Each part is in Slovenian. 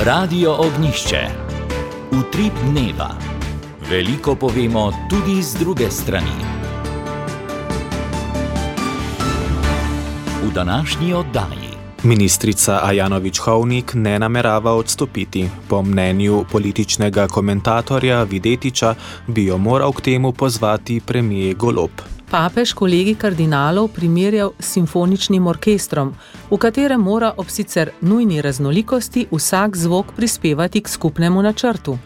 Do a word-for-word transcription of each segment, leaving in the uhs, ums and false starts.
Radio Ognjišče. Utrip dneva. Veliko povemo tudi z druge strani. V današnji oddaji. Ministrica Ajanović-Hovnik ne namerava odstopiti. Po mnenju političnega komentatorja Videtiča bi jo moral k temu pozvati premier Golob. Papež kolegi kardinalov primerjal s simfoničnim orkestrom, v katerem mora ob sicer nujni raznolikosti vsak zvok prispevati k skupnemu načrtu.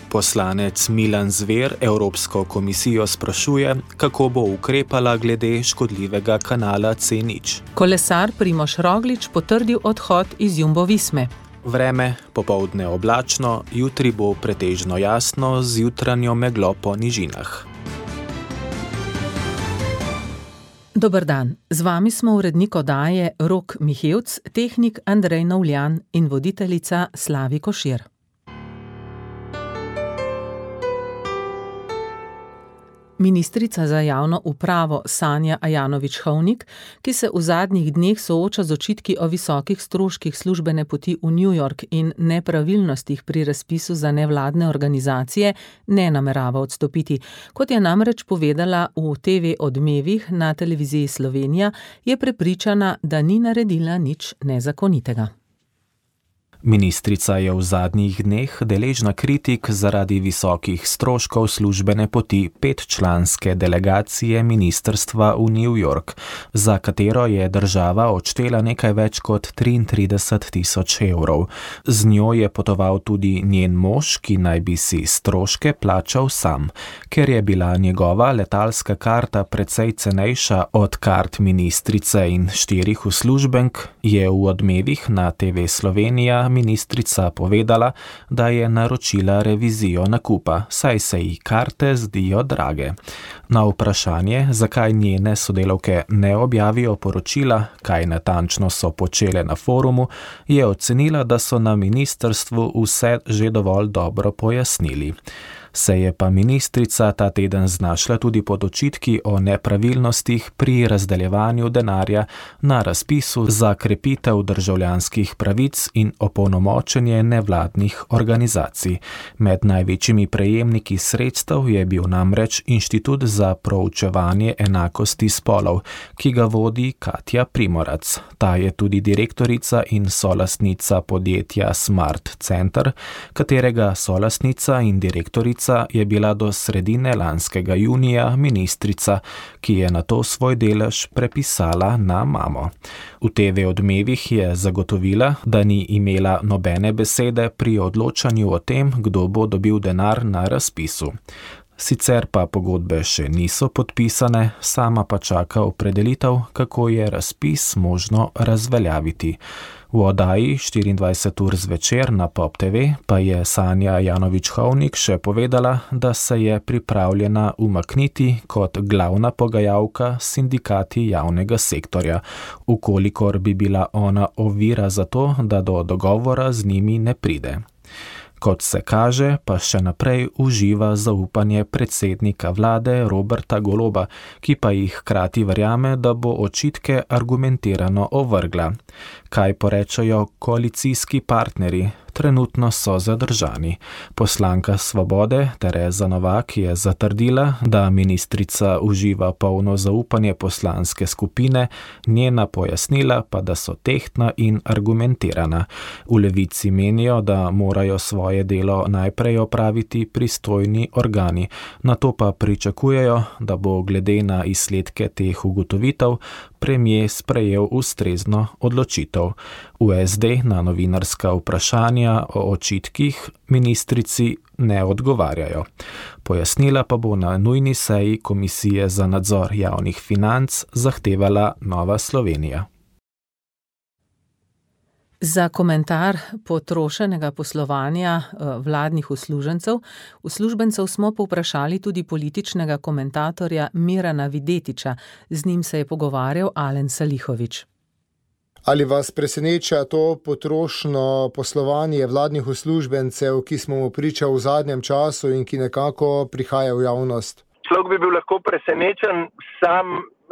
Poslanec Milan Zver Evropsko komisijo sprašuje, kako bo ukrepala glede škodljivega kanala C nič. Kolesar Primož Roglič potrdil odhod iz Jumbo Visme. Vreme, popoldne oblačno, jutri bo pretežno jasno z jutranjo meglo po nižinah. Dober dan, z vami smo urednik oddaje Rok Mihevc, tehnik Andrej Novljan in voditeljica Slavi Košir. Ministrica za javno upravo Sanja Ajanović-Hovnik, ki se v zadnjih dneh sooča z očitki o visokih stroških službene poti v New York in nepravilnostih pri razpisu za nevladne organizacije, ne namerava odstopiti. Kot je namreč povedala v T V Odmevih na televiziji Slovenija, je prepričana, da ni naredila nič nezakonitega. Ministrica je v zadnjih dneh deležna kritik zaradi visokih stroškov službene poti petčlanske delegacije ministrstva v New York, za katero je država odštela nekaj več kot triintrideset tisoč evrov. Z njo je potoval tudi njen mož, ki naj bi si stroške plačal sam. Ker je bila njegova letalska karta precej cenejša od kart ministrice in štirih uslužbenk, je v Odmevih na T V Slovenija ministrica povedala, da je naročila revizijo nakupa, saj se ji karte zdijo drage. Na vprašanje, zakaj njene sodelavke ne objavijo poročila, kaj natančno so počele na forumu, je ocenila, da so na ministrstvu vse že dovolj dobro pojasnili. Se je pa ministrica ta teden znašla tudi pod očitki o nepravilnostih pri razdeljevanju denarja na razpisu za krepitev državljanskih pravic in opolnomočenje nevladnih organizacij. Med največjimi prejemniki sredstev je bil namreč Inštitut za proučevanje enakosti spolov, ki ga vodi Katja Primorac. Ta je tudi direktorica in solastnica podjetja Smart Center, katerega solastnica in direktorica je bila do sredine lanskega junija ministrica, ki je nato svoj delež prepisala na mamo. V T V Odmevih je zagotovila, da ni imela nobene besede pri odločanju o tem, kdo bo dobil denar na razpisu. Sicer pa pogodbe še niso podpisane, sama pa čaka opredelitev, kako je razpis možno razveljaviti. V oddaji štiriindvajset ur zvečer na Pop T V pa je Sanja Ajanović-Hovnik še povedala, da se je pripravljena umakniti kot glavna pogajalka s sindikati javnega sektorja, ukolikor bi bila ona ovira za to, da do dogovora z njimi ne pride. Kot se kaže, pa še naprej uživa zaupanje predsednika vlade Roberta Goloba, ki pa jih hkrati verjame, da bo očitke argumentirano ovrgla. Kaj porečejo koalicijski partnerji? Trenutno so zadržani. Poslanka Svobode Tereza Novak je zatrdila, da ministrica uživa polno zaupanje poslanske skupine, njena pojasnila pa, da so tehtna in argumentirana. V Levici menijo, da morajo svoje delo najprej opraviti pristojni organi, nato pa pričakujejo, da bo glede na izsledke teh ugotovitev premier sprejel ustrezno odločitev. V S D na novinarska vprašanja o očitkih ministrici ne odgovarjajo. Pojasnila pa bo na nujni seji Komisije za nadzor javnih financ zahtevala Nova Slovenija. Za komentar potrošenega poslovanja vladnih uslužbencev, uslužbencev smo povprašali tudi političnega komentatorja Mirana Videtiča. Z njim se je pogovarjal Alen Salihović. Ali vas preseneča to potrošno poslovanje vladnih uslužbencev, ki smo mu pričali v zadnjem času in ki nekako prihaja v javnost? Človek bi bil lahko presenečen, sam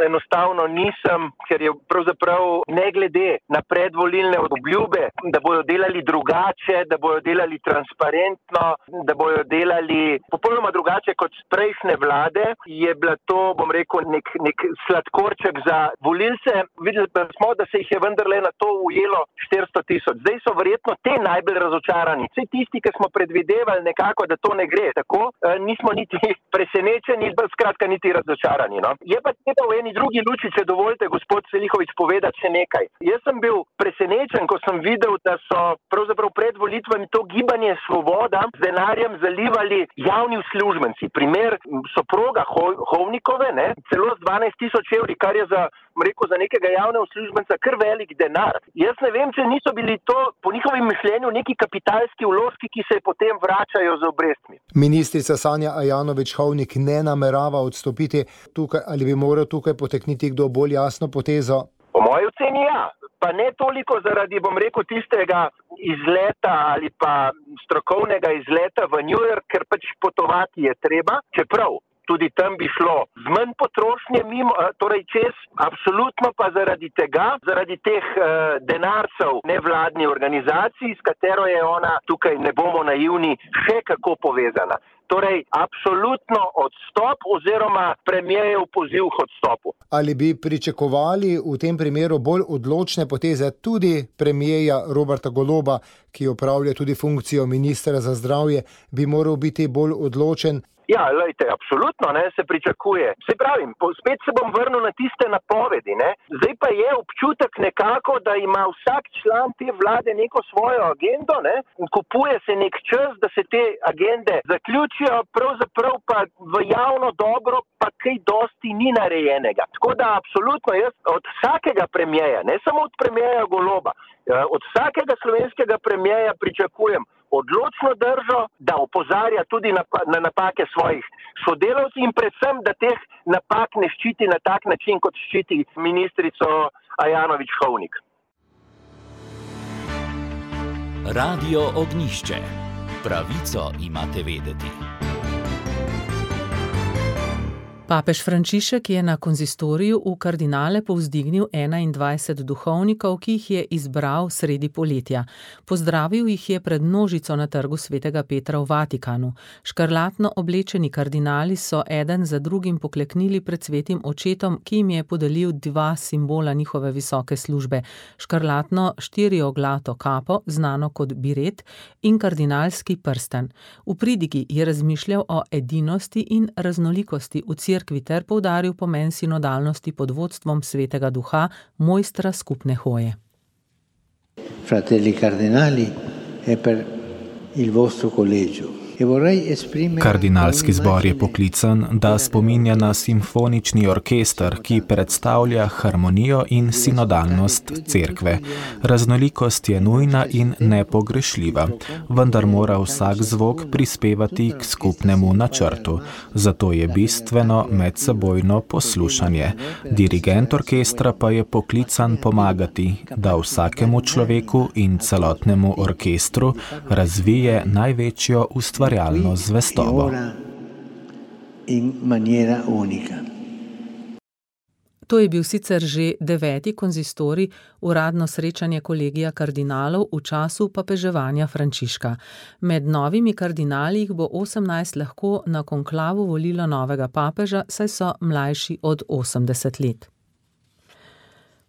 enostavno nisem, ker je pravzaprav ne glede na predvolilne obljube, da bojo delali drugače, da bojo delali transparentno, da bojo delali popolnoma drugače kot prejšnje vlade, je bila to, bom rekel, nek, nek sladkorček za volilce. Videli smo, da se jih je vendarle na to ujelo štiristo tisoč. Zdaj so verjetno te najbolj razočarani. Vse tisti, ki smo predvidevali nekako, da to ne gre tako, nismo niti presenečeni, skratka niti razočarani. No? Je pa treba v eni drugi luči, če dovolite, gospod Selihovič, povedati še nekaj. Jaz sem bil presenečen, ko sem videl, da so pravzaprav pred volitvami to gibanje Svoboda z denarjem zalivali javni uslužbenci. Primer soproga Hovnikove, ne, celo z dvanajst tisoč evri, kar je za, rekel, za nekega javnega uslužbenca kar velik denar. Jaz ne vem, če niso bili to po njihovem mišljenju neki kapitalski vložki, ki se potem vračajo z obrestmi. Ministrica Sanja Ajanović-Hovnik ne namerava odstopiti tukaj, ali bi moral tukaj potekniti kdo bolj jasno potezo? Po moji oceni ja. Pa ne toliko zaradi, bom rekel, tistega izleta ali pa strokovnega izleta v New York, ker pač potovati je treba, čeprav tudi tam bi šlo z manj potrošnje mimo, torej čez, absolutno pa zaradi tega, zaradi teh uh, denarcev nevladnih organizacij, s katero je ona, tukaj ne bomo naivni, še kako povezana. Torej, absolutno odstop oziroma premierjev poziv k odstopu. Ali bi pričakovali v tem primeru bolj odločne poteze tudi premierja Roberta Goloba, ki opravlja tudi funkcijo ministra za zdravje, bi moral biti bolj odločen? Ja, lejte, absolutno, ne, se pričakuje. Se pravim, spet se bom vrnil na tiste napovedi, ne. Zdaj pa je občutek nekako, da ima vsak član te vlade neko svojo agendo, ne, kupuje se nek čas, da se te agende zaključijo, pravzaprav pa v javno dobro pa kaj dosti ni narejenega. Tako da absolutno jaz od vsakega premierja, ne samo od premierja Goloba, od vsakega slovenskega premierja pričakujem odločno držo, da opozarja tudi na, na napake svojih sodelavcev in predvsem, da teh napak ne ščiti na tak način, kot ščiti ministrico Ajanović-Hovnik. Radio Ognjišče. Pravico imate vedeti. Papež Frančišek je na konzistoriju v kardinale povzdignil enaindvajset duhovnikov, ki jih je izbral sredi poletja. Pozdravil jih je pred množico na trgu svetega Petra v Vatikanu. Škarlatno oblečeni kardinali so eden za drugim pokleknili pred svetim očetom, ki jim je podelil dva simbola njihove visoke službe. Škarlatno štirioglato kapo, znano kot biret, in kardinalski prsten. V pridigi je razmišljal o edinosti in raznolikosti v cerkvi ter poudaril pomen sinodalnosti pod vodstvom svetega duha, mojstra skupne hoje. Fratelli cardinali, è per il vostro collegio. Kardinalski zbor je poklican, da spominja na simfonični orkester, ki predstavlja harmonijo in sinodalnost cerkve. Raznolikost je nujna in nepogrešljiva, vendar mora vsak zvok prispevati k skupnemu načrtu. Zato je bistveno medsebojno poslušanje. Dirigent orkestra pa je poklican pomagati, da vsakemu človeku in celotnemu orkestru razvije največjo ustvarjalnost. Realno zvestobo. To je bil sicer že deveti konzistorij, uradno srečanje kolegija kardinalov v času papeževanja Frančiška. Med novimi kardinali jih bo osemnajst lahko na konklavu volilo novega papeža, saj so mlajši od osemdeset let.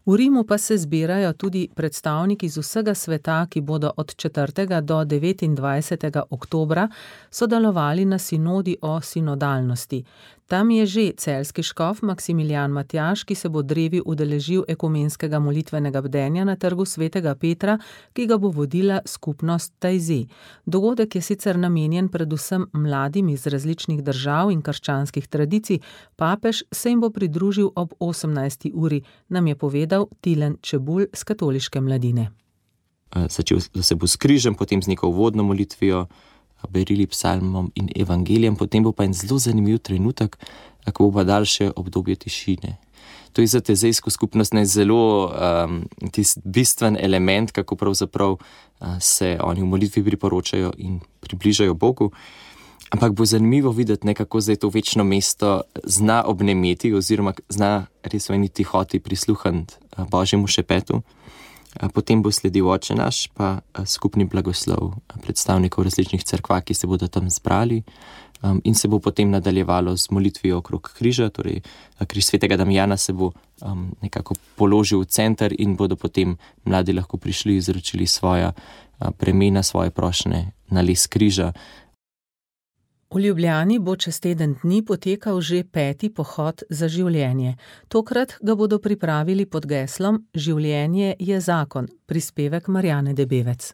V Rimu pa se zbirajo tudi predstavniki iz vsega sveta, ki bodo od četrtega do devetindvajsetega oktobra sodelovali na sinodi o sinodalnosti. Tam je že celjski škof Maksimilijan Matjaž, ki se bo drevi udeležil ekumenskega molitvenega bdenja na trgu svetega Petra, ki ga bo vodila skupnost Tajzi. Dogodek je sicer namenjen predvsem mladim iz različnih držav in krščanskih tradicij, papež se jim bo pridružil ob osemnajsti uri, nam je povedal Tilen Čebulj z katoliške mladine. Začel se bo s križem, potem z neko uvodno molitvijo, berili psalmom in evangelijem, potem bo pa en zelo zanimiv trenutek, ko bo pa daljše obdobje tišine. To je za tezejsko skupnost ne zelo um, tisti bistven element, kako pravzaprav uh, se oni v molitvi priporočajo in približajo Bogu. Ampak bo zanimivo videti, nekako zdaj to večno mesto zna obnemeti oziroma zna res v eni tihoti prisluhniti Božjemu šepetu. Potem bo sledil Oče naš, pa skupni blagoslov predstavnikov različnih cerkva, ki se bodo tam zbrali, in se bo potem nadaljevalo z molitvijo okrog križa, torej križ svetega Damjana se bo nekako položil v center in bodo potem mladi lahko prišli, izročili svoja bremena, svoje prošnje na les križa. V Ljubljani bo čez teden dni potekal že peti pohod za življenje. Tokrat ga bodo pripravili pod geslom Življenje je zakon, prispevek Marjane Debevec.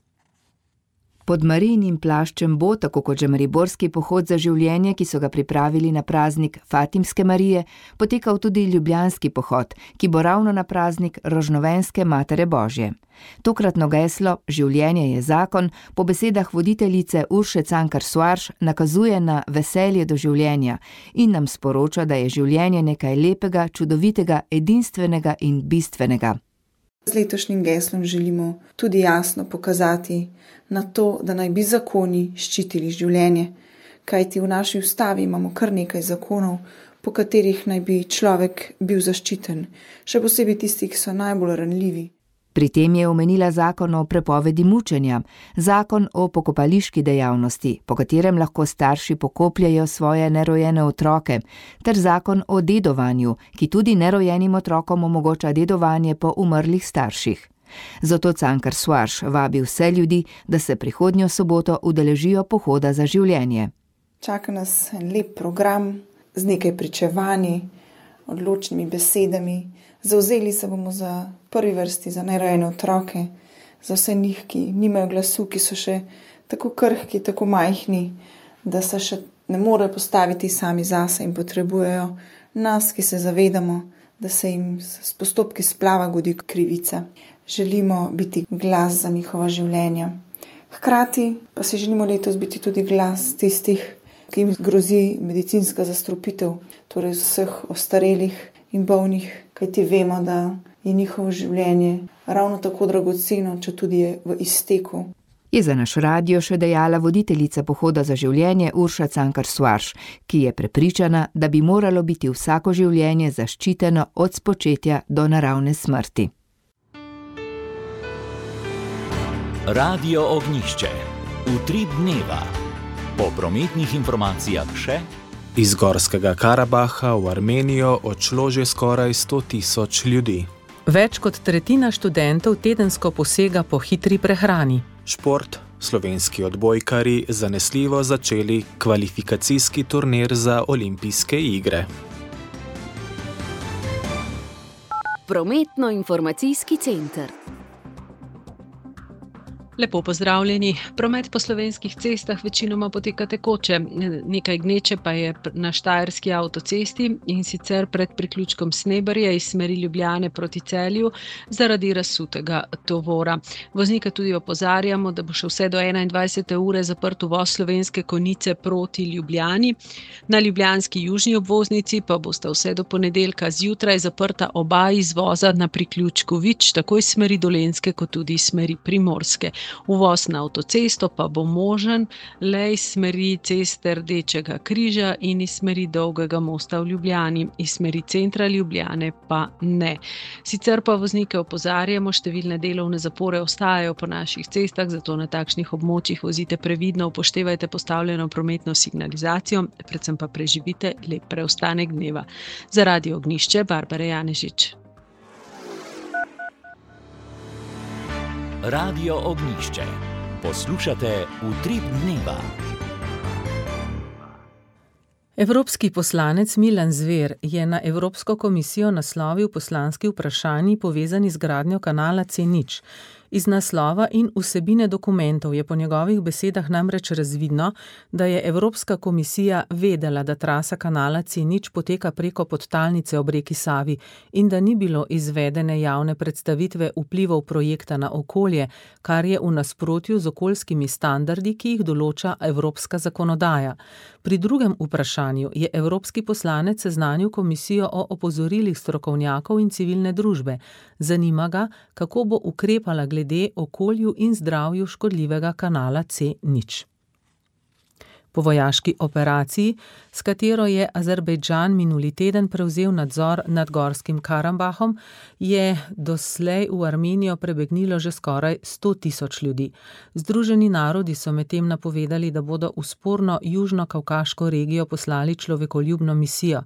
Pod Marijinim plaščem bo, tako kot že mariborski pohod za življenje, ki so ga pripravili na praznik Fatimske Marije, potekal tudi ljubljanski pohod, ki bo ravno na praznik Rožnovenske Matere Božje. Tokratno geslo Življenje je zakon po besedah voditeljice Urše Cankar Soares nakazuje na veselje do življenja in nam sporoča, da je življenje nekaj lepega, čudovitega, edinstvenega in bistvenega. Z letošnjim geslom želimo tudi jasno pokazati na to, da naj bi zakoni ščitili življenje, kajti v naši ustavi imamo kar nekaj zakonov, po katerih naj bi človek bil zaščiten, še posebej tisti, ki so najbolj ranljivi. Pri tem je omenila zakon o prepovedi mučenja, zakon o pokopališki dejavnosti, po katerem lahko starši pokopljajo svoje nerojene otroke, ter zakon o dedovanju, ki tudi nerojenim otrokom omogoča dedovanje po umrlih starših. Zato Cankar Soares vabi vse ljudi, da se prihodnjo soboto udeležijo pohoda za življenje. Čaka nas en lep program z nekaj pričevanji, odločnimi besedami. Zavzeli se bomo za prvi vrsti za nerojene otroke, za vse njih, ki nimajo glasu, ki so še tako krhki, tako majhni, da se še ne morejo postaviti sami zase in potrebujejo nas, ki se zavedamo, da se jim s postopki splava godi krivica. Želimo biti glas za njihova življenja. Hkrati pa si želimo letos biti tudi glas tistih, ki jim grozi medicinska zastrupitev, torej vseh ostarelih in bolnih, kajti vemo, da je njihovo življenje ravno tako dragoceno, če tudi je v izteku. Je za naš radio še dejala voditeljica pohoda za življenje Urša Cankar Soares, ki je prepričana, da bi moralo biti vsako življenje zaščiteno od spočetja do naravne smrti. Radio Ognjišče. Utrip dneva. Po prometnih informacijah še iz Gorskega Karabaha v Armenijo odšlo že skoraj sto tisoč ljudi. Več kot tretjina študentov tedensko posega po hitri prehrani. Šport. Slovenski odbojkarji zanesljivo začeli kvalifikacijski turnir za olimpijske igre. Prometno-informacijski center. Lepo pozdravljeni. Promet po slovenskih cestah večinoma poteka tekoče, nekaj gneče pa je na štajerski avtocesti in sicer pred priključkom Sneberje iz smeri Ljubljane proti Celju zaradi razsutega tovora. Voznika tudi opozarjamo, da bo še vse do enaindvajsete ure zaprt uvoz Slovenske Konjice proti Ljubljani. Na ljubljanski južni obvoznici pa bosta vse do ponedeljka zjutraj zaprta oba izvoza na priključku Vič, tako iz smeri Dolenjske kot tudi iz smeri Primorske. Uvoz na avtocesto pa bo možen le iz smeri ceste Rdečega križa in iz smeri Dolgega mosta v Ljubljani, iz smeri centra Ljubljane pa ne. Sicer pa voznike opozarjamo, številne delovne zapore ostajajo po naših cestah, zato na takšnih območjih vozite previdno, upoštevajte postavljeno prometno signalizacijo, predvsem pa preživite lep preostanek dneva. Za Radio Ognjišče, Barbara Janežič. Radio Ognjišče. Poslušate Utrip dneva. Evropski poslanec Milan Zver je na Evropsko komisijo naslovil poslanski vprašanji povezani z gradnjo kanala C nič. Iz naslova in vsebine dokumentov je po njegovih besedah namreč razvidno, da je Evropska komisija vedela, da trasa kanala C nič poteka preko podtalnice ob reki Savi in da ni bilo izvedene javne predstavitve vplivov projekta na okolje, kar je v nasprotju z okoljskimi standardi, ki jih določa evropska zakonodaja. Pri drugem vprašanju je evropski poslanec seznanil komisijo o opozorilih strokovnjakov in civilne družbe. Zanima ga, kako bo ukrepala glede okolju in zdravju škodljivega kanala C nič. Po vojaški operaciji, s katero je Azerbejdžan minuli teden prevzel nadzor nad Gorskim Karabahom, je doslej v Armenijo prebegnilo že skoraj sto tisoč ljudi. Združeni narodi so medtem napovedali, da bodo v sporno južno-kavkaško regijo poslali človekoljubno misijo.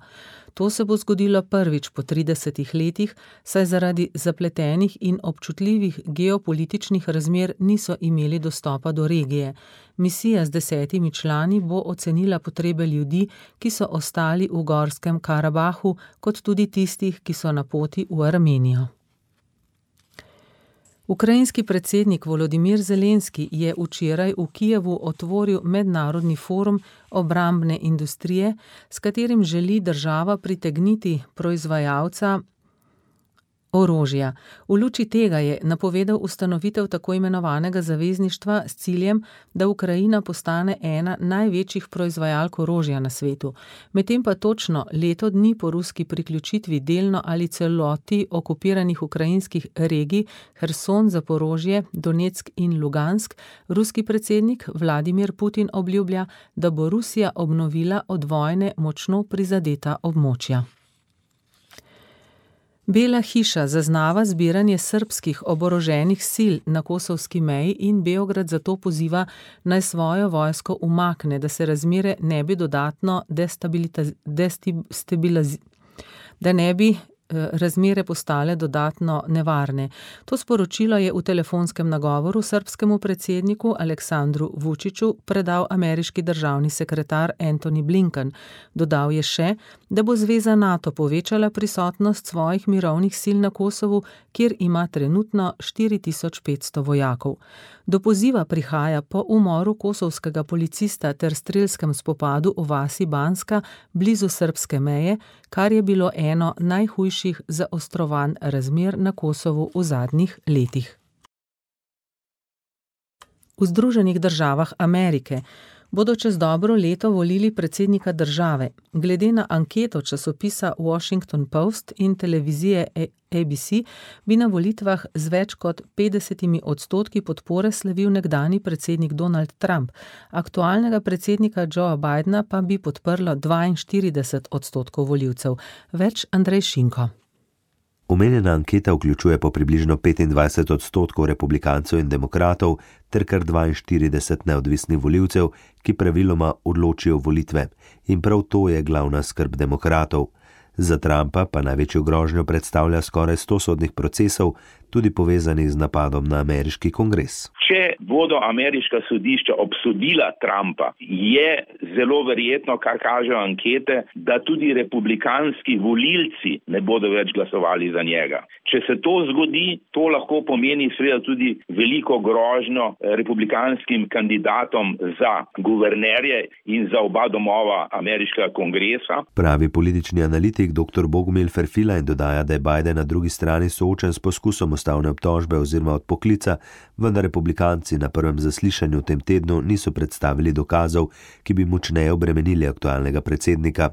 To se bo zgodilo prvič po tridesetih letih, saj zaradi zapletenih in občutljivih geopolitičnih razmer niso imeli dostopa do regije. Misija z desetimi člani bo ocenila potrebe ljudi, ki so ostali v Gorskem Karabahu, kot tudi tistih, ki so na poti v Armenijo. Ukrajinski predsednik Volodimir Zelenski je včeraj v Kijevu otvoril mednarodni forum obrambne industrije, s katerim želi država pritegniti proizvajalca orožja. V luči tega je napovedal ustanovitev tako imenovanega zavezništva s ciljem, da Ukrajina postane ena največjih proizvajalk orožja na svetu. Medtem pa točno leto dni po ruski priključitvi delno ali celoti okupiranih ukrajinskih regij Herson, Zaporožje, Donetsk in Lugansk, ruski predsednik Vladimir Putin obljublja, da bo Rusija obnovila od vojne močno prizadeta območja. Bela hiša zaznava zbiranje srbskih oboroženih sil na kosovski meji in Beograd zato poziva, naj svojo vojsko umakne, da se razmere ne bi dodatno destabilizirale, da ne bi razmere postale dodatno nevarne. To sporočilo je v telefonskem nagovoru srbskemu predsedniku Aleksandru Vučiću predal ameriški državni sekretar Antony Blinken. Dodal je še, da bo zveza NATO povečala prisotnost svojih mirovnih sil na Kosovu, kjer ima trenutno štiri tisoč petsto vojakov. Do poziva prihaja po umoru kosovskega policista ter strelskem spopadu v vasi Banska blizu srbske meje, kar je bilo eno najhujših zaostrovanj razmer na Kosovu v zadnjih letih. V Združenih državah Amerike bodo čez dobro leto volili predsednika države. Glede na anketo časopisa Washington Post in televizije A B C bi na volitvah z več kot petdesetimi odstotki podpore slavil nekdanji predsednik Donald Trump. Aktualnega predsednika Joea Bidena pa bi podprlo dvainštirideset odstotkov volivcev. Več Andrej Šinko. Omenjena anketa vključuje po približno petindvajset odstotkov republikancev in demokratov ter kar dvainštirideset neodvisnih volivcev, ki praviloma odločijo volitve. In prav to je glavna skrb demokratov. Za Trumpa pa največjo grožnjo predstavlja skoraj sto sodnih procesov, tudi povezanih z napadom na ameriški kongres. Če bodo ameriška sodišča obsodila Trumpa, je zelo verjetno, kar kažejo ankete, da tudi republikanski volilci ne bodo več glasovali za njega. Če se to zgodi, to lahko pomeni seveda tudi veliko grožnjo republikanskim kandidatom za guvernerje in za oba domova ameriškega kongresa. Pravi politični analitik dr. Bogumil Ferfila in dodaja, da je Biden na drugi strani soočen s poskusom ustavne obtožbe oziroma odpoklica, vendar republikanci na prvem zaslišanju v tem tednu niso predstavili dokazov, ki bi močneje obremenili aktualnega predsednika.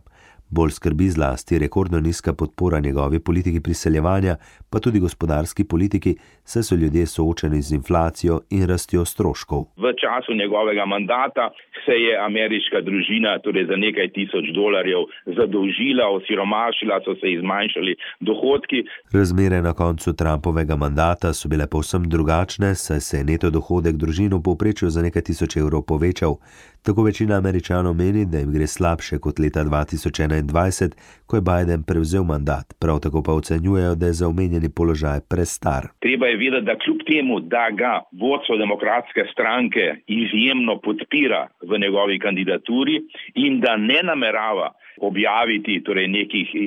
Bolj skrbi zlasti rekordno nizka podpora njegovi politiki priseljevanja, pa tudi gospodarski politiki, saj so ljudje soočeni z inflacijo in rastjo stroškov. V času njegovega mandata se je ameriška družina torej za nekaj tisoč dolarjev zadolžila, osiromašila, so se izmanjšali dohodki. Razmere na koncu Trumpovega mandata so bile povsem drugačne, saj se je neto dohodek družin v povprečju za nekaj tisoč evrov povečal. Tako večina Američanov meni, da jim gre slabše kot leta dva tisoč enaindvajset, ko je Biden prevzel mandat. Prav tako pa ocenjujejo, da je za omenjeni položaj prestar. Treba je vedeti, da kljub temu, da ga vodstvo demokratske stranke izjemno podpira v njegovi kandidaturi in da ne namerava objaviti torej nekih eh,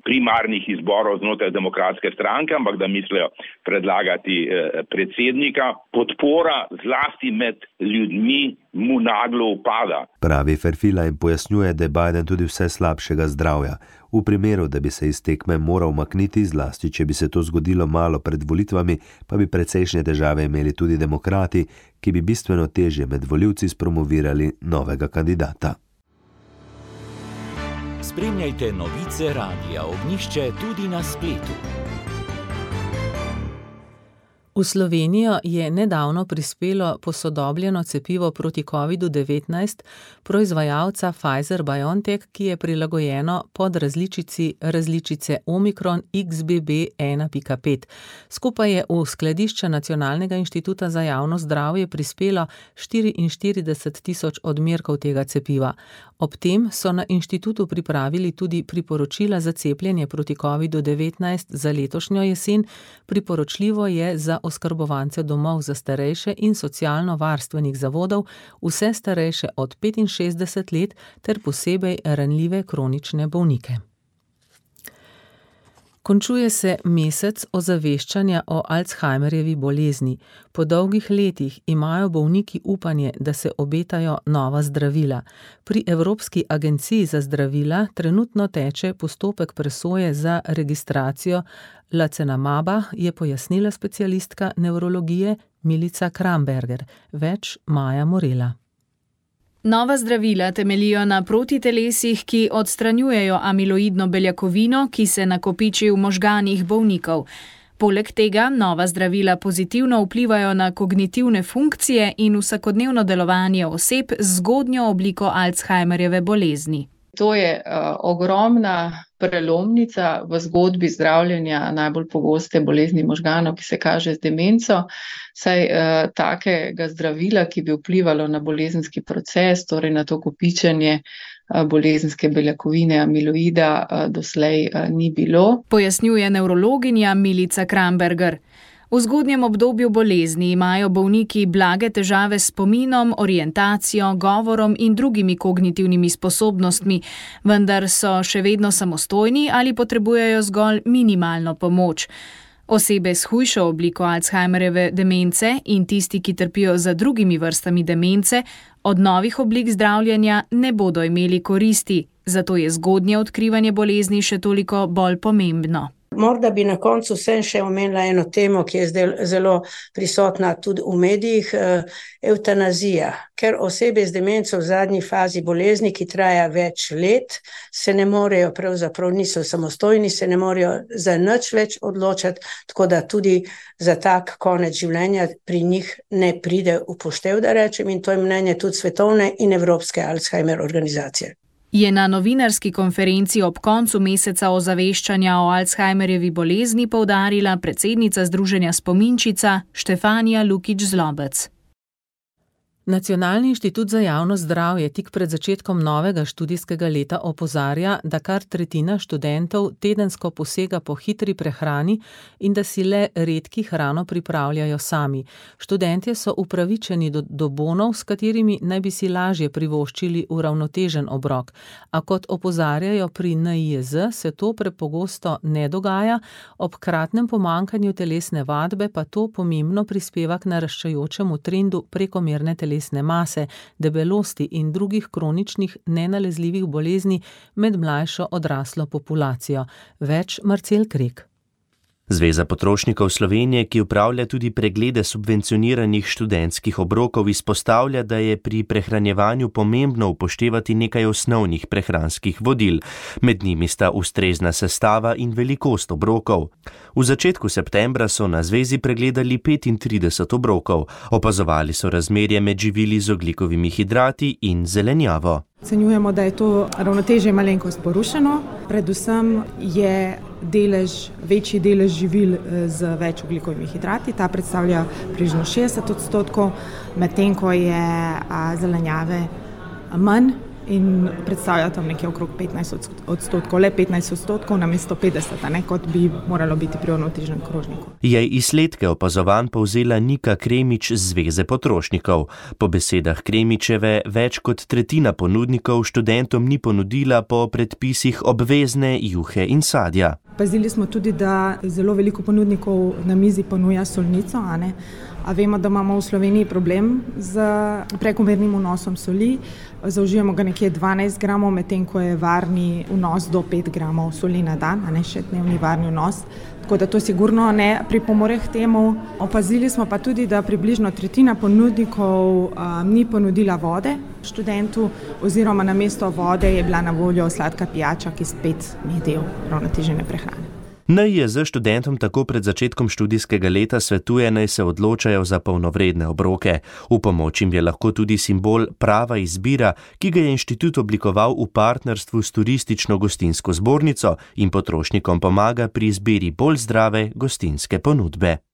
primarnih izborov znotraj demokratske stranke, ampak da mislijo predlagati eh, predsednika, podpora zlasti med ljudmi mu naglo upada. Pravi Ferfila in pojasnjuje, da je Biden tudi vse slabšega zdravja. V primeru, da bi se iz tekme moral makniti, zlasti če bi se to zgodilo malo pred volitvami, pa bi precejšnje težave imeli tudi demokrati, ki bi bistveno težje med volivci spromovirali novega kandidata. Spremljajte novice Radia Ognjišče tudi na spletu. V Slovenijo je nedavno prispelo posodobljeno cepivo proti kovidu devetnajst proizvajalca Pfizer-BioNTech, ki je prilagojeno pod različici različice Omikron X B B ena pika pet. Skupaj je v skladišče Nacionalnega inštituta za javno zdravje prispelo štiriinštirideset tisoč odmerkov tega cepiva. Ob tem so na inštitutu pripravili tudi priporočila za cepljenje proti kovidu devetnajst za letošnjo jesen. Priporočljivo je za oskrbovance domov za starejše in socialno-varstvenih zavodov, vse starejše od petinšestdeset let ter posebej ranljive kronične bolnike. Končuje se mesec ozaveščanja o Alzheimerjevi bolezni. Po dolgih letih imajo bolniki upanje, da se obetajo nova zdravila. Pri Evropski agenciji za zdravila trenutno teče postopek presoje za registracijo Lacenamaba, je pojasnila specialistka nevrologije Milica Kramberger. Več Maja Morela. Nova zdravila temeljijo na protitelesih, ki odstranjujejo amiloidno beljakovino, ki se nakopiči v možganih bolnikov. Poleg tega nova zdravila pozitivno vplivajo na kognitivne funkcije in vsakodnevno delovanje oseb z zgodnjo obliko Alzheimerjeve bolezni. To je uh, ogromna prelomnica v zgodbi zdravljenja najbolj pogoste bolezni možganov, ki se kaže z demenco. Saj uh, takega zdravila, ki bi vplivalo na bolezenski proces, torej na to kopičenje uh, bolezenske beljakovine amiloida, uh, doslej uh, ni bilo. Pojasnjuje nevrologinja Milica Kramberger. V zgodnjem obdobju bolezni imajo bolniki blage težave s spominom, orientacijo, govorom in drugimi kognitivnimi sposobnostmi, vendar so še vedno samostojni ali potrebujejo zgolj minimalno pomoč. Osebe s hujšo obliko Alzheimerjeve demence in tisti, ki trpijo za drugimi vrstami demence, od novih oblik zdravljenja ne bodo imeli koristi, zato je zgodnje odkrivanje bolezni še toliko bolj pomembno. Morda bi na koncu vsem še omenila eno temo, ki je zdaj zelo prisotna tudi v medijih, evtanazija. Ker osebe z demenco v zadnji fazi bolezni, ki traja več let, se ne morejo, pravzaprav niso samostojni, se ne morejo za nič več odločati, tako da tudi za tak konec življenja pri njih ne pride upoštev, da rečem, in to je mnenje tudi svetovne in evropske Alzheimer organizacije. Je na novinarski konferenci ob koncu meseca ozaveščanja o Alzheimerjevi bolezni poudarila predsednica Združenja Spominčica Štefanija Lukič-Zlobec. Nacionalni inštitut za javno zdravje tik pred začetkom novega študijskega leta opozarja, da kar tretjina študentov tedensko posega po hitri prehrani in da si le redki hrano pripravljajo sami. Študentje so upravičeni do, do bonov, s katerimi naj bi si lažje privoščili uravnotežen obrok. A kot opozarjajo pri N I J Z, se to prepogosto ne dogaja, ob kratnem pomanjkanju telesne vadbe pa to pomembno prispeva k naraščajočemu trendu prekomerne telesne telesne mase, debelosti in drugih kroničnih nenalezljivih bolezni med mlajšo odraslo populacijo. Več Marcel Krek. Zveza potrošnikov Slovenije, ki upravlja tudi preglede subvencioniranih študentskih obrokov, izpostavlja, da je pri prehranjevanju pomembno upoštevati nekaj osnovnih prehranskih vodil. Med njimi sta ustrezna sestava in velikost obrokov. V začetku septembra so na zvezi pregledali petintrideset obrokov. Opazovali so razmerje med živili z ogljikovimi hidrati in zelenjavo. Ocenjujemo, da je to ravnotežje malenkost porušeno. Predvsem je delež, večji delež živil z več ogljikovimi hidrati. Ta predstavlja približno šestdeset odstotkov, medtem ko je zelenjave manj in predstavlja tam nekje okrog petnajst odstotkov, le petnajst odstotkov namesto petdeset, ne, kot bi moralo biti pri uravnoteženem krožniku. Je izsledke opazovanj povzela Nika Kremič z Zveze potrošnikov. Po besedah Kremičeve več kot tretjina ponudnikov študentom ni ponudila po predpisih obvezne juhe in sadja. Pazili smo tudi, da zelo veliko ponudnikov na mizi ponuja solnico, a ne? A vemo, da imamo v Sloveniji problem z prekomernim vnosom soli. Zaužijemo ga nekje dvanajst gramov, medtem ko je varni vnos do pet gramov soli na dan, a ne še dnevni varni vnos. Tako da to sigurno ne pripomore k temu. Opazili smo pa tudi, da približno tretjina ponudnikov um, ni ponudila vode študentu, oziroma namesto vode je bila na voljo sladka pijača, ki spet ni del uravnotežene prehrane. N I J Z študentom tako pred začetkom študijskega leta svetuje, naj se odločajo za polnovredne obroke. V pomoč jim je lahko tudi simbol Prava izbira, ki ga je inštitut oblikoval v partnerstvu s turistično-gostinsko zbornico in potrošnikom pomaga pri izbiri bolj zdrave gostinske ponudbe.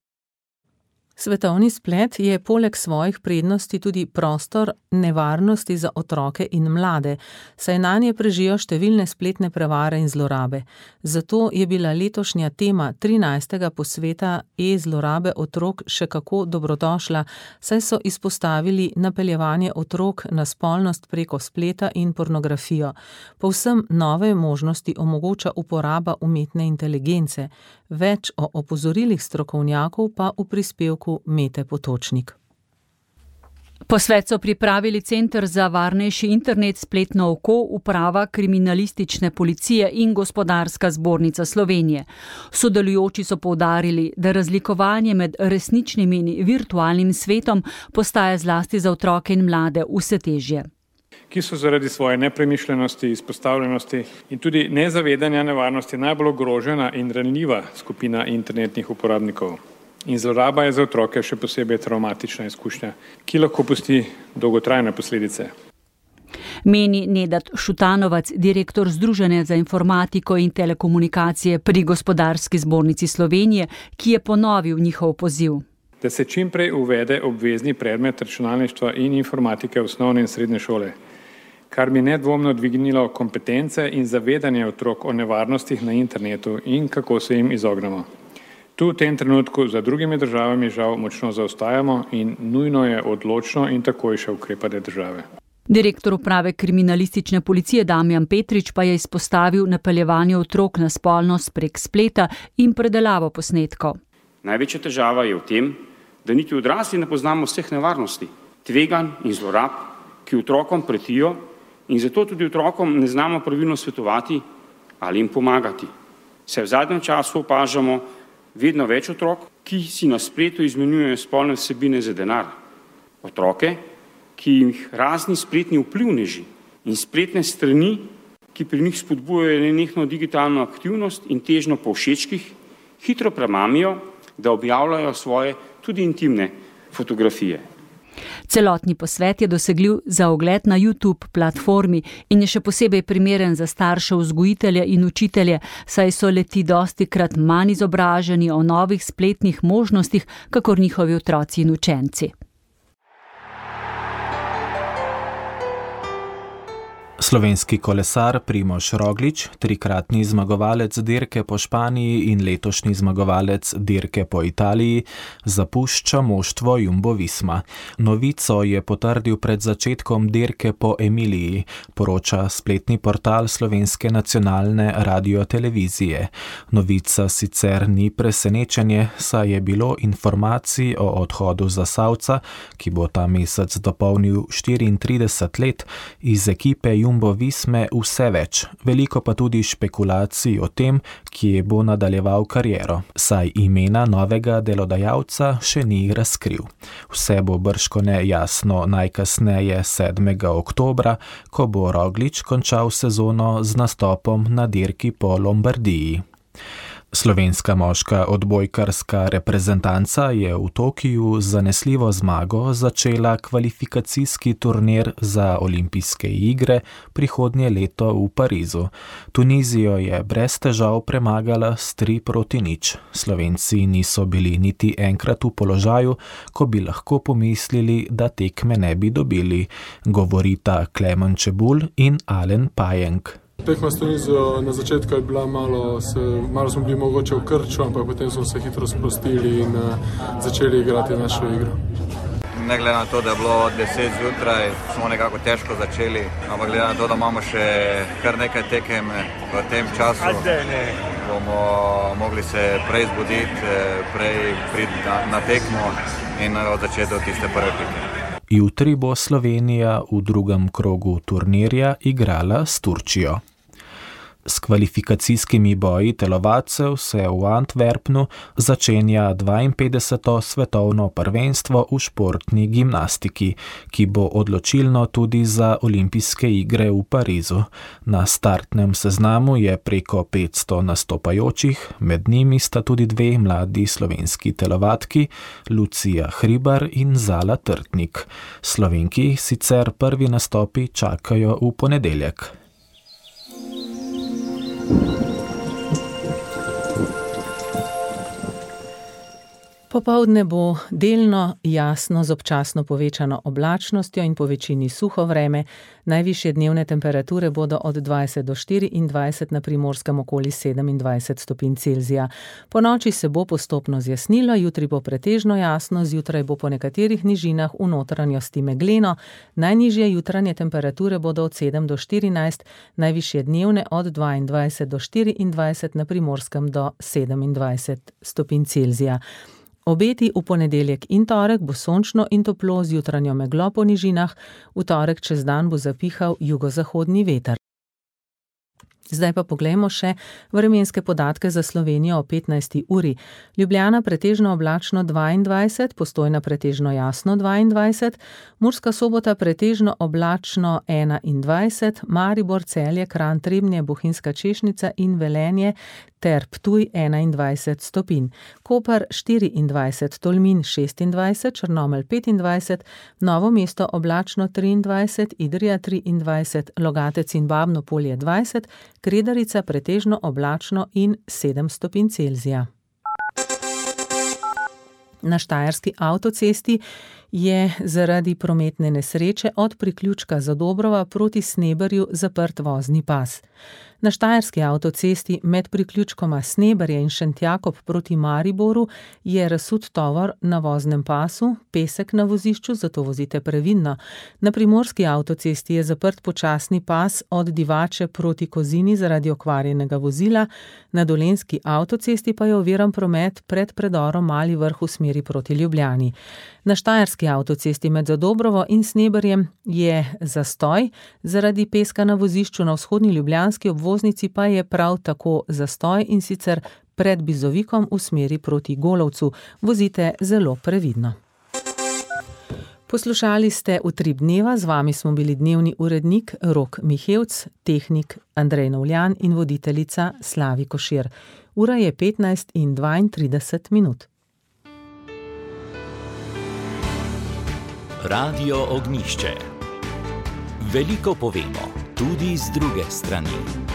Svetovni splet je poleg svojih prednosti tudi prostor nevarnosti za otroke in mlade, saj nanje prežijo številne spletne prevare in zlorabe. Zato je bila letošnja tema trinajstega posveta e-zlorabe otrok še kako dobrodošla, saj so izpostavili napeljevanje otrok na spolnost preko spleta in pornografijo. Povsem nove možnosti omogoča uporaba umetne inteligence. Več o opozorilih strokovnjakov pa v prispevku Mete Potočnik. Posvet so pripravili Center za varnejši internet, spletno oko, uprava kriminalistične policije in Gospodarska zbornica Slovenije. Sodelujoči so poudarili, da razlikovanje med resničnim in virtualnim svetom postaja zlasti za otroke in mlade vse težje. Ki so zaradi svoje nepremišljenosti, izpostavljenosti in tudi nezavedanja nevarnosti najbolj ogrožena in ranljiva skupina internetnih uporabnikov. In zloraba je za otroke še posebej travmatična izkušnja, ki lahko pusti dolgotrajne posledice. Meni Nedat Šutanovac, direktor Združenja za informatiko in telekomunikacije pri Gospodarski zbornici Slovenije, ki je ponovil njihov poziv. Da se čim prej uvede obvezni predmet računalništva in informatike v osnovne in srednje šole, kar bi nedvomno dvignilo kompetence in zavedanje otrok o nevarnostih na internetu in kako se jim izognemo. Tu v tem trenutku za drugimi državami žal močno zaostajamo in nujno je odločno in takojše ukrepanje države. Direktor uprave kriminalistične policije Damjan Petrič pa je izpostavil napeljevanje otrok na spolnost prek spleta in predelavo posnetkov. Največja težava je v tem, da niti odrasli ne poznamo vseh nevarnosti, tveganj in zlorab, ki otrokom pretijo, in zato tudi otrokom ne znamo pravilno svetovati ali jim pomagati. Se v zadnjem času opažamo vedno več otrok, ki si na spletu izmenjujejo spolne vsebine za denar. Otroke, ki jih razni spletni vplivneži in spletne strani, ki pri njih spodbujajo nenehno digitalno aktivnost in težnjo po všečkih, hitro premamijo, da objavljajo svoje tudi intimne fotografije. Celotni posvet je dosegljiv za ogled na YouTube platformi in je še posebej primeren za starše, vzgojitelje in učitelje, saj so leti dostikrat manj izobraženi o novih spletnih možnostih, kakor njihovi otroci in učenci. Slovenski kolesar Primož Roglič, trikratni zmagovalec dirke po Španiji in letošnji zmagovalec dirke po Italiji, zapušča moštvo Jumbo Visma. Novico je potrdil pred začetkom dirke po Emiliji, poroča spletni portal Slovenske nacionalne radiotelevizije. Novica sicer ni presenečenje, saj je bilo informacij o odhodu Zasavca, ki bo ta mesec dopolnil štiriintrideset let, iz ekipe Jumbo Jumbo Visme vse več, veliko pa tudi špekulacij o tem, kje bo nadaljeval kariero, saj imena novega delodajalca še ni razkril. Vse bo bržkone jasno najkasneje sedmega oktobra, ko bo Roglič končal sezono z nastopom na dirki po Lombardiji. Slovenska moška odbojkarska reprezentanca je v Tokiju z zanesljivo zmago začela kvalifikacijski turnir za olimpijske igre prihodnje leto v Parizu. Tunizijo je brez težav premagala s tri proti nič. Slovenci niso bili niti enkrat v položaju, ko bi lahko pomislili, da tekme ne bi dobili, govorita Klemen Čebulj in Alen Pajenk. Tekma s Tunizijo na začetku je bila malo, se, malo smo bili mogoče v krču, ampak potem smo se hitro sprostili in uh, začeli igrati našo igro. Ne glede na to, da je bilo deset zjutraj, smo nekako težko začeli, ampak glede na to, da imamo še kar nekaj tekem v tem času, bomo mogli se prej zbuditi, prej priti na, na tekmo in od začeti od tiste prve pike. Jutri bo Slovenija v drugem krogu turnirja igrala s Turčijo. S kvalifikacijskimi boji telovadcev se v Antwerpnu začenja dvainpetdeseto svetovno prvenstvo v športni gimnastiki, ki bo odločilno tudi za olimpijske igre v Parizu. Na startnem seznamu je preko petsto nastopajočih, med njimi sta tudi dve mladi slovenski telovadki, Lucija Hribar in Zala Trtnik. Slovenki sicer prvi nastopi čakajo v ponedeljek. Popoldne bo delno jasno z občasno povečano oblačnostjo in po večini suho vreme. Najvišje dnevne temperature bodo od dvajset do štiriindvajset, na Primorskem okoli sedemindvajset stopinj Celzija. Po noči se bo postopno zjasnilo, jutri bo pretežno jasno, zjutraj bo po nekaterih nižinah v notranjosti megleno. Najnižje jutranje temperature bodo od sedem do štirinajst, najvišje dnevne od dvaindvajset do štiriindvajset, na Primorskem do sedemindvajset stopinj Celzija. Obeti v ponedeljek in torek bo sončno in toplo z jutranjo meglo po nižinah, v torek čez dan bo zapihal jugozahodni veter. Zdaj pa poglejmo še vremenske podatke za Slovenijo o petnajsti uri. Ljubljana pretežno oblačno dvaindvajset, Postojna pretežno jasno dvaindvajset, Murska Sobota pretežno oblačno enaindvajset, Maribor, Celje, Kranj, Trebnje, Bohinjska Češnica in Velenje ter Ptuj enaindvajset stopinj. Koper štiriindvajset, Tolmin šestindvajset, Črnomelj petindvajset, Novo mesto oblačno triindvajset, Idrija triindvajset, Logatec in Babno Polje dvajset, Kredarica pretežno oblačno in sedem stopinj Celzija. Na Štajerski avtocesti je zaradi prometne nesreče od priključka Zadobrova proti Sneberju zaprt vozni pas. Na Štajerski avtocesti med priključkoma Sneberje in Šentjakob proti Mariboru je razsut tovor na voznem pasu, pesek na vozišču, zato vozite previdno. Na Primorski avtocesti je zaprt počasni pas od Divače proti Kozini zaradi okvarjenega vozila, na Dolenjski avtocesti pa je oviran promet pred predorom Mali Vrh v smeri proti Ljubljani. Na Štajerski avtocesti med Zadobrovo in Sneberjem je zastoj, zaradi peska na vozišču, na vzhodni ljubljanski obvoznici pa je prav tako zastoj, in sicer pred Bizovikom v smeri proti Golovcu. Vozite zelo previdno. Poslušali ste Utrip dneva, z vami smo bili dnevni urednik Rok Mihevc, tehnik Andrej Novljan in voditeljica Slavi Košir. Ura je petnajst in dvaintrideset minut. Radio Ognjišče. Veliko povemo, tudi z druge strani.